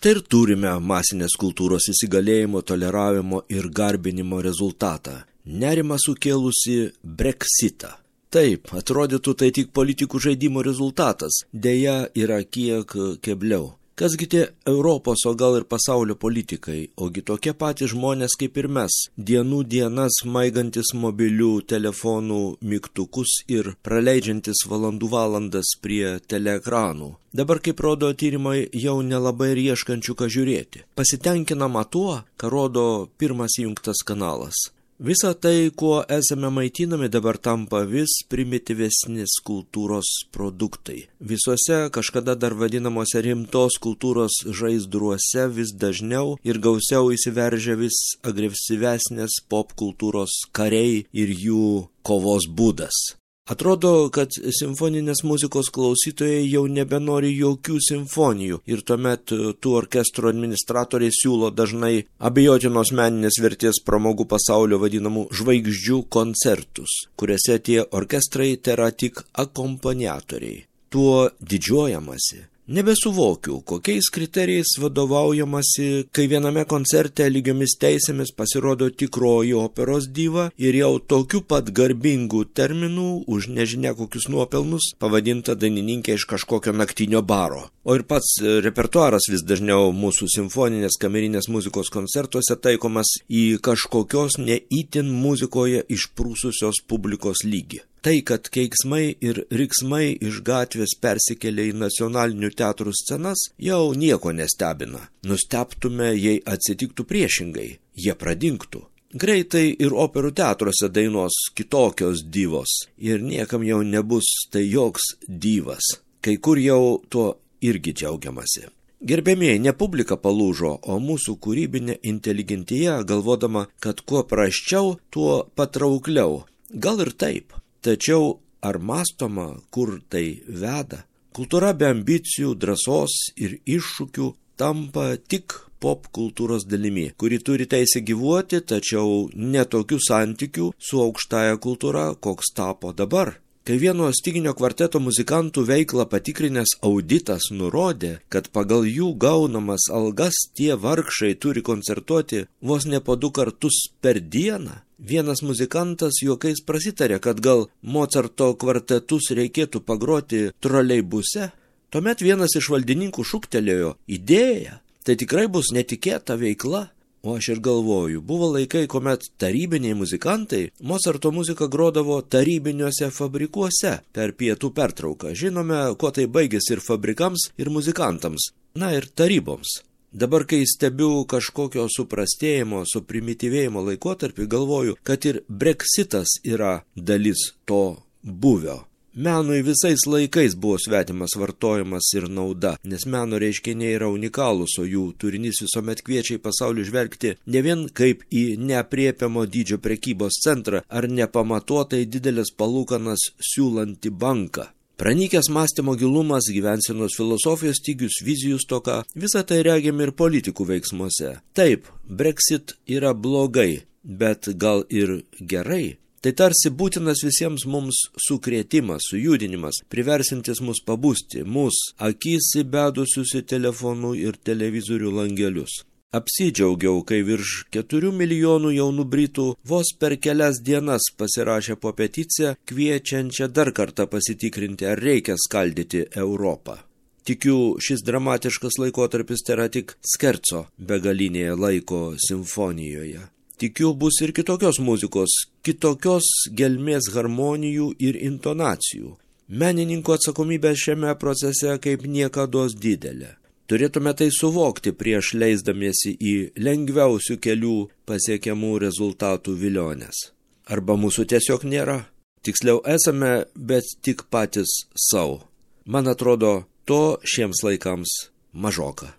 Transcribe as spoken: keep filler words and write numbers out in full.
Štai ir turime masinės kultūros įsigalėjimo, toleravimo ir garbinimo rezultatą. Nerimą sukėlusi Brexitą. Taip, atrodytų tai tik politikų žaidimo rezultatas, deja yra kiek kebliau. Kasgi tie Europos, o gal ir pasaulio politikai, ogi tokie patys žmonės kaip ir mes, dienų dienas maigantis mobilių telefonų mygtukus ir praleidžiantis valandų valandas prie teleekranų. Dabar, kaip rodo tyrimai, jau nelabai ir ieškančių ką žiūrėti. Pasitenkinama tuo, ką rodo pirmas įjungtas kanalas. Visa tai, kuo esame maitinami, dabar tampa vis primityvesnis kultūros produktai. Visuose kažkada dar vadinamuose rimtos kultūros žaizdruose vis dažniau ir gausiau įsiveržia vis agresyvesnės pop kultūros kariai ir jų kovos būdas. Atrodo, kad simfoninės muzikos klausytojai jau nebenori jokių simfonijų ir tuomet tų orkestrų administratoriai siūlo dažnai abejotinos meninės vertės pramogų pasaulio vadinamų žvaigždžių koncertus, kuriuose tie orkestrai tėra tik akompaniatoriai. Tuo didžiuojamasi. Nebesuvokiu, kokiais kriterijais vadovaujamasi, kai viename koncerte lygiomis teisėmis pasirodo tikroji operos diva ir jau tokiu pat garbingų terminų už nežinia kokius nuopelnus pavadinta dainininkė iš kažkokio naktinio baro. O ir pats repertuaras vis dažniau mūsų simfoninės kamerinės muzikos koncertuose taikomas į kažkokios neįtin muzikoje išprūsusios publikos lygį. Tai, kad keiksmai ir riksmai iš gatvės persikelia į nacionalinių teatrų scenas, jau nieko nestebina. Nustebtume, jei atsitiktų priešingai, jie pradingtų. Greitai ir operų teatruose dainos kitokios divos ir niekam jau nebus tai joks divas. Kai kur jau tuo irgi džiaugiamasi. Gerbėmieji, ne publika palūžo, o mūsų kūrybinė inteligentija, galvodama, kad kuo prasčiau, tuo patraukliau. Gal ir taip. Tačiau ar mąstoma, kur tai veda? Kultūra be ambicijų, drąsos ir iššūkių tampa tik pop kultūros dalimi, kuri turi teisę gyvuoti, tačiau netokių santykių su aukštąja kultūra, koks tapo dabar. Kai vieno styginio kvarteto muzikantų veiklą patikrinęs auditas nurodė, kad pagal jų gaunamas algas tie vargšai turi koncertuoti vos ne po du kartus per dieną, vienas muzikantas juokais prasitarė, kad gal Mocarto kvartetus reikėtų pagroti troleibuse. Tuomet vienas iš valdininkų šūktelėjo: idėja, tai tikrai bus netikėta veikla. O aš ir galvoju, buvo laikai, kuomet tarybiniai muzikantai Mocarto muziką grodavo tarybiniuose fabrikuose per pietų pertrauką. Žinome, kuo tai baigėsi ir fabrikams, ir muzikantams, na ir taryboms. Dabar, kai stebiu kažkokio suprastėjimo, suprimityvėjimo laikotarpį, galvoju, kad ir Brexitas yra dalis to buvio. Menui visais laikais buvo svetimas vartojimas ir nauda, nes meno reiškiniai yra unikalūs, o jų turinys visuomet kviečia į pasaulį žvelgti ne vien kaip į neaprėpiamo dydžio prekybos centrą ar nepamatuotai didelės palūkanas siūlantį banką. Pranykęs mąstymo gilumas, gyvensenos filosofijos stygius, vizijų stoka, visą tai regime ir politikų veiksmuose. Taip, Brexit yra blogai, bet gal ir gerai. Tai tarsi būtinas visiems mums sukrėtimas, sujudinimas, priversintis mus pabusti, mus akis įbedusius į telefonų ir televizorių langelius. Apsidžiaugiau, kai virš keturių milijonų jaunų britų vos per kelias dienas pasirašė po peticiją, kviečiančią dar kartą pasitikrinti, ar reikia skaldyti Europą. Tikiu, šis dramatiškas laikotarpis tėra tik skerco begalinėje laiko simfonijoje. Tikiu, bus ir kitokios muzikos, kitokios gelmės harmonijų ir intonacijų. Menininkų atsakomybė šiame procese kaip niekados didelė. Turėtume tai suvokti prieš leisdamiesi į lengviausių kelių pasiekiamų rezultatų vilionės. Arba mūsų tiesiog nėra. Tiksliau esame, bet tik patys savo. Man atrodo, to šiems laikams mažoka.